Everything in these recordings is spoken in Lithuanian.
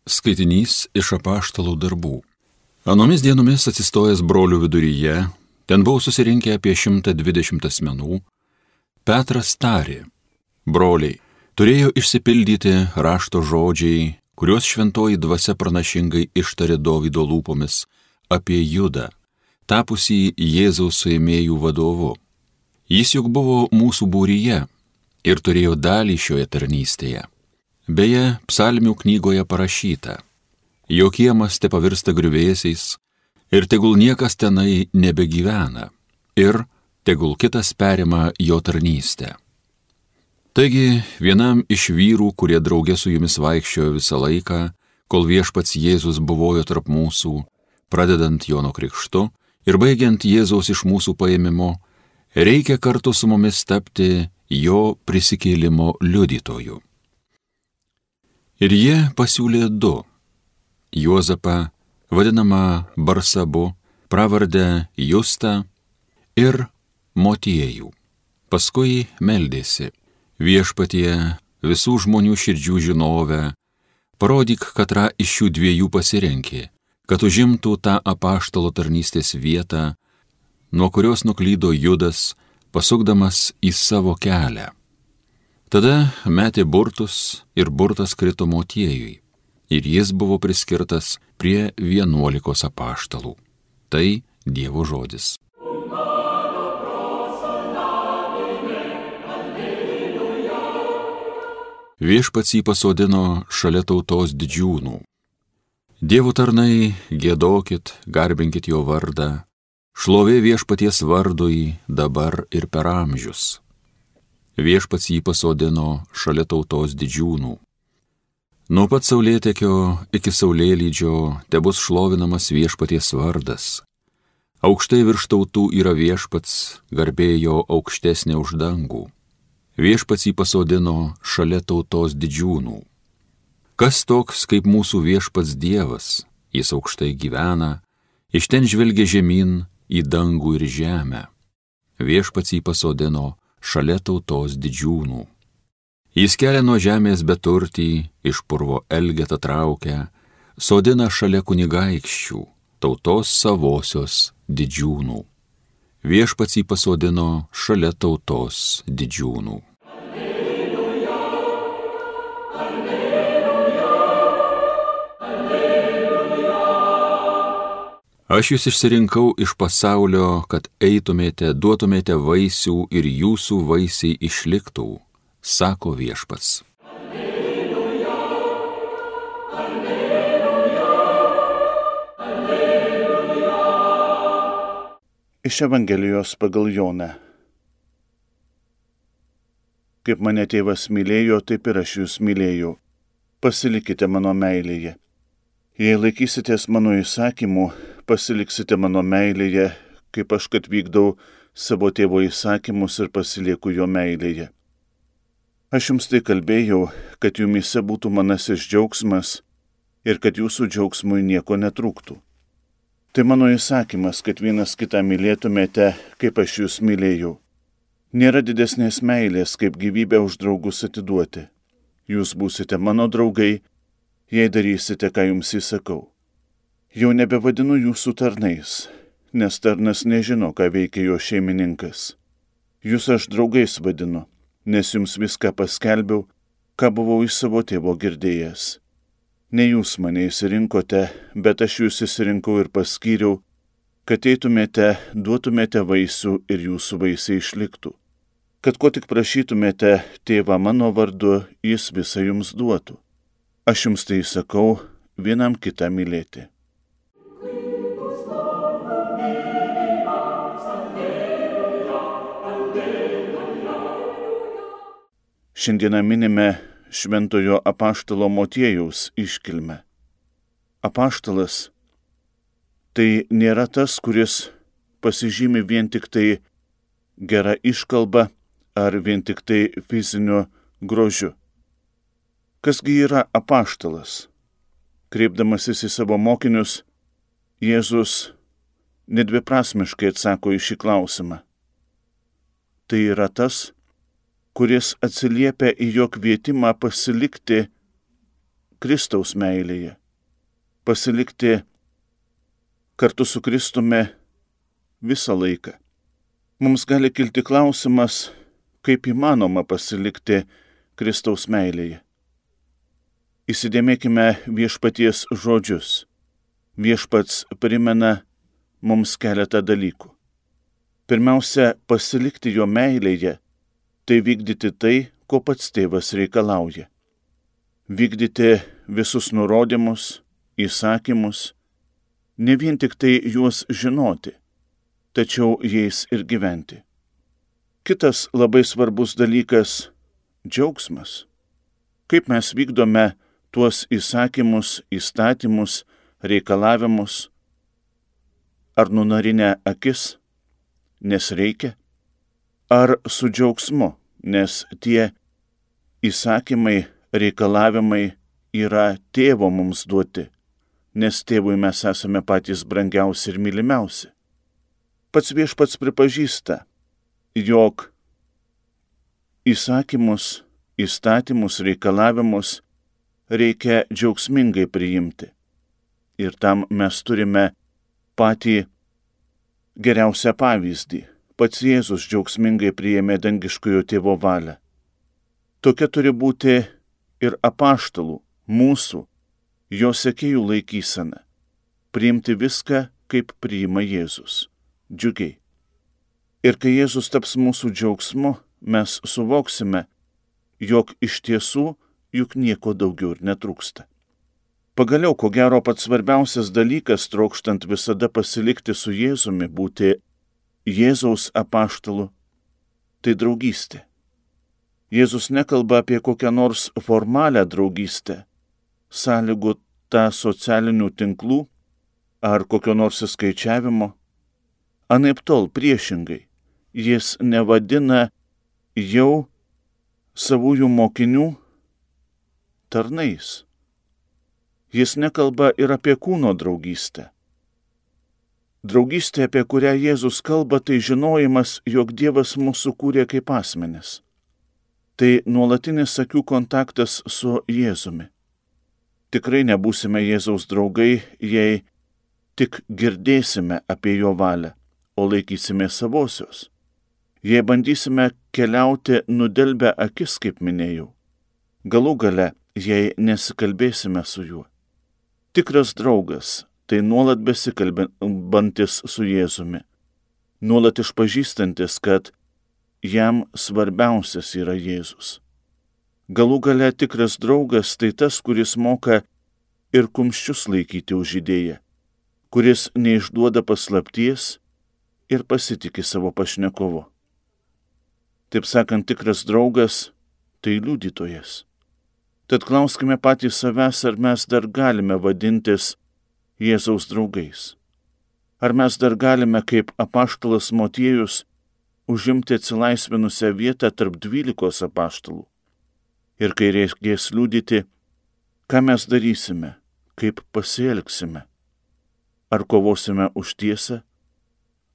Skaitinys iš apaštalų darbų. Anomis dienomis atsistojęs brolių viduryje, ten buvo susirinkę apie 120 asmenų, Petras tarė: broliai, turėjo išsipildyti rašto žodžiai, kuriuos šventoji dvasia pranašingai ištarė Dovydo lūpomis apie Judą, tapusį Jėzaus suėmėjų vadovu. Jis juk buvo mūsų būryje ir turėjo dalį šioje tarnystėje. Beje, psalmių knygoje parašyta: jo kiemas te pavirsta griuvėsiais ir tegul niekas tenai nebegyvena ir tegul kitas perima jo tarnystę. Taigi, vienam iš vyrų, kurie drauge su jumis vaikščiojo visą laiką, kol viešpats Jėzus buvojo tarp mūsų, pradedant Jono krikštu ir baigiant Jėzaus iš mūsų paėmimo, reikia kartu su mumis tapti jo prisikėlimo liudytoju. Ir jie pasiūlė du: Juozapą, vadinamą Barsabu, pravardę Justą, ir Motiejų. Paskui meldėsi: viešpatie, visų žmonių širdžių žinovę, parodyk, katrą iš šių dviejų pasirenki, kad užimtų tą apaštalo tarnystės vietą, nuo kurios nuklydo Judas, pasukdamas į savo kelią. Tada metė burtus ir burtas krito Motiejui, ir jis buvo priskirtas prie 11 apaštalų. Tai Dievo žodis. Viešpats jį pasodino šalia tautos didžiūnų. Dievo tarnai, giedokit, garbinkit jo vardą, šlovė viešpaties vardui dabar ir per amžius. Viešpats jį pasodino šalia tautos didžiūnų. Nuo pat saulėtekio iki saulėlydžio tebus šlovinamas viešpaties vardas. Aukštai virš tautų yra viešpats, garbė jo aukštesnė už dangų. Viešpats jį pasodino šalia tautos didžiūnų. Kas toks kaip mūsų viešpats Dievas? Jis aukštai gyvena, iš ten žvelgia žemyn į dangų ir žemę. Viešpats jį pasodino šalia tautos didžiūnų. Jis kelia nuo žemės beturtį, iš purvo elgetą traukia, sodina šalia kunigaikščių, tautos savosios didžiūnų. Viešpats jį pasodino šalia tautos didžiūnų. Alleluja, alleluja, alleluja. Aš jūs išsirinkau iš pasaulio, kad eitumėte, duotumėte vaisių ir jūsų vaisiai išliktų, sako viešpats. Alleluja, alleluja, alleluja. Iš Evangelijos pagal Joną. Kaip mane tėvas mylėjo, taip ir aš jūs mylėjau. Pasilikite mano meilėje. Jei laikysitės mano įsakymų, pasiliksite mano meilėje, kaip aš kad vykdau savo tėvo įsakymus ir pasilieku jo meilėje. Aš jums tai kalbėjau, kad jumyse būtų manasis džiaugsmas ir kad jūsų džiaugsmui nieko netrūktų. Tai mano įsakymas, kad vienas kitą mylėtumėte, kaip aš jūs mylėjau. Nėra didesnės meilės, kaip gyvybę už draugus atiduoti. Jūs būsite mano draugai, jei darysite, ką jums įsakau. Jau nebevadinu jūsų tarnais, nes tarnas nežino, ką veikia jo šeimininkas. Jūs aš draugais vadinu, nes jums viską paskelbiau, ką buvau iš savo tėvo girdėjęs. Ne jūs mane išsirinkote, bet aš jūs išsirinkau ir paskyriau, kad eitumėte, duotumėte vaisių ir jūsų vaisiai išliktų. Kad ko tik prašytumėte tėvą mano vardu, jis visą jums duotų. Aš jums tai sakau, vienam kitą mylėti. Šiandieną minime šventojo apaštalo Motiejaus iškilmę. Apaštalas tai nėra tas, kuris pasižymi vien tik tai gerą iškalbą ar vien tik tai fiziniu grožiu. Kasgi yra apaštalas? Kreipdamasis į savo mokinius, Jėzus nedviprasmiškai atsako į šį klausimą. Tai yra tas, kuris atsiliepia į jo kvietimą pasilikti Kristaus meilėje, pasilikti kartu su Kristumi visą laiką. Mums gali kilti klausimas, kaip įmanoma pasilikti Kristaus meilėje. Įsidėmėkime viešpaties žodžius. Viešpats primena mums keletą dalykų. Pirmiausia, pasilikti jo meilėje, tai vykdyti tai, ko pats tėvas reikalauja. Vykdyti visus nurodymus, įsakymus, ne vien tik tai juos žinoti, tačiau jais ir gyventi. Kitas labai svarbus dalykas – džiaugsmas. Kaip mes vykdome tuos įsakymus, įstatymus, reikalavimus, ar nunarinę akis, nes reikia, ar su džiaugsmu, nes tie įsakymai, reikalavimai yra tėvo mums duoti, nes tėvui mes esame patys brangiausi ir mylimiausi. Pats viešpats pripažįsta, jog įsakymus, įstatymus, reikalavimus reikia džiaugsmingai priimti. Ir tam mes turime patį geriausią pavyzdį. Pats Jėzus džiaugsmingai priėmė dangiškojo tėvo valią. Tokia turi būti ir apaštalų, mūsų, jo sekėjų laikysena. Priimti viską, kaip priima Jėzus. Džiugiai. Ir kai Jėzus taps mūsų džiaugsmu, mes suvoksime, jog iš tiesų juk nieko daugiau ir netrūksta. Pagaliau, ko gero, pats svarbiausias dalykas, trokštant visada pasilikti su Jėzumi, būti Jėzaus apaštalu, tai draugystė. Jėzus nekalba apie kokią nors formalią draugystę, sąlygotą socialinių tinklų ar kokio nors įskaičiavimo. Anaiptol priešingai, jis nevadina jau savųjų mokinių tarnais. Jis nekalba ir apie kūno draugystę. Draugystė, apie kurią Jėzus kalba, tai žinojimas, jog Dievas mūsų kūrė kaip asmenis. Tai nuolatinis akių kontaktas su Jėzumi. Tikrai nebūsime Jėzaus draugai, jei tik girdėsime apie jo valią, o laikysime savosios. Jei bandysime keliauti nudelbę akis, kaip minėjau, galų gale, jei nesikalbėsime su juo. Tikras draugas tai nuolat besikalbantis su Jėzumi, nuolat išpažįstantis, kad jam svarbiausias yra Jėzus. Galų gale tikras draugas tai tas, kuris moka ir kumščius laikyti už idėją, kuris neišduoda paslapties ir pasitiki savo pašnekovu. Taip sakant, tikras draugas tai liudytojas. Tad klauskime patys savęs, ar mes dar galime vadintis Jėzaus draugais. Ar mes dar galime, kaip apaštalas Motiejus, užimti atsilaisvinusią vietą tarp 12 apaštalų. Ir kai reikės liudyti, ką mes darysime, kaip pasielgsime. Ar kovosime už tiesą,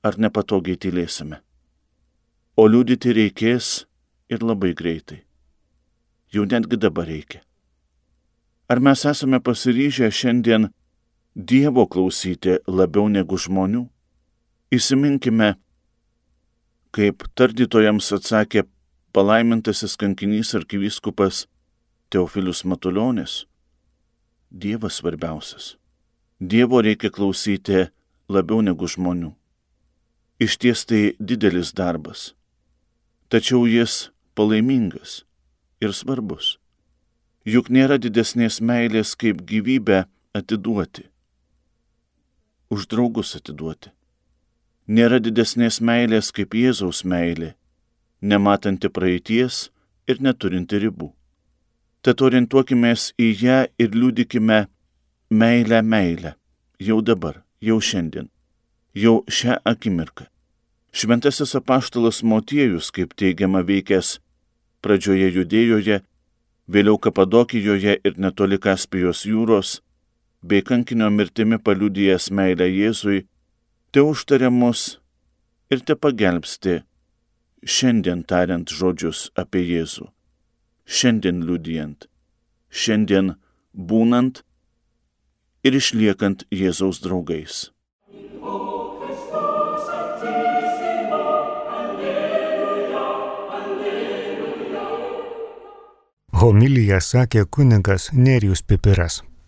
ar nepatogiai tylėsime. O liudyti reikės ir labai greitai. Jau netgi dabar reikia. Ar mes esame pasiryžę šiandien Dievo klausyti labiau negu žmonių? Įsiminkime, kaip tardytojams atsakė palaimintasis kankinys arkivyskupas Teofilius Matulionis. Dievas svarbiausias. Dievo reikia klausyti labiau negu žmonių. Išties tai didelis darbas. Tačiau jis palaimingas ir svarbus. Juk nėra didesnės meilės kaip gyvybę atiduoti. Už draugus atiduoti. Nėra didesnės meilės kaip Jėzaus meilė, nematanti praeities ir neturinti ribų. Tad orientuokimės į ją ir liudykime meilę, jau dabar, jau šiandien, jau šią akimirką. Šventasis apaštalas Motiejus, kaip teigiama, veikęs pradžioje Judėjoje, vėliau Kapadokijoje ir netoli Kaspijos jūros, bei kankinio mirtimi paliudijęs meilę Jėzui, te užtaria mus ir te pagelbsti, šiandien tariant žodžius apie Jėzų, šiandien liudijant, šiandien būnant ir išliekant Jėzaus draugais. Homiliją sakė kunigas Nerijus Pipiras.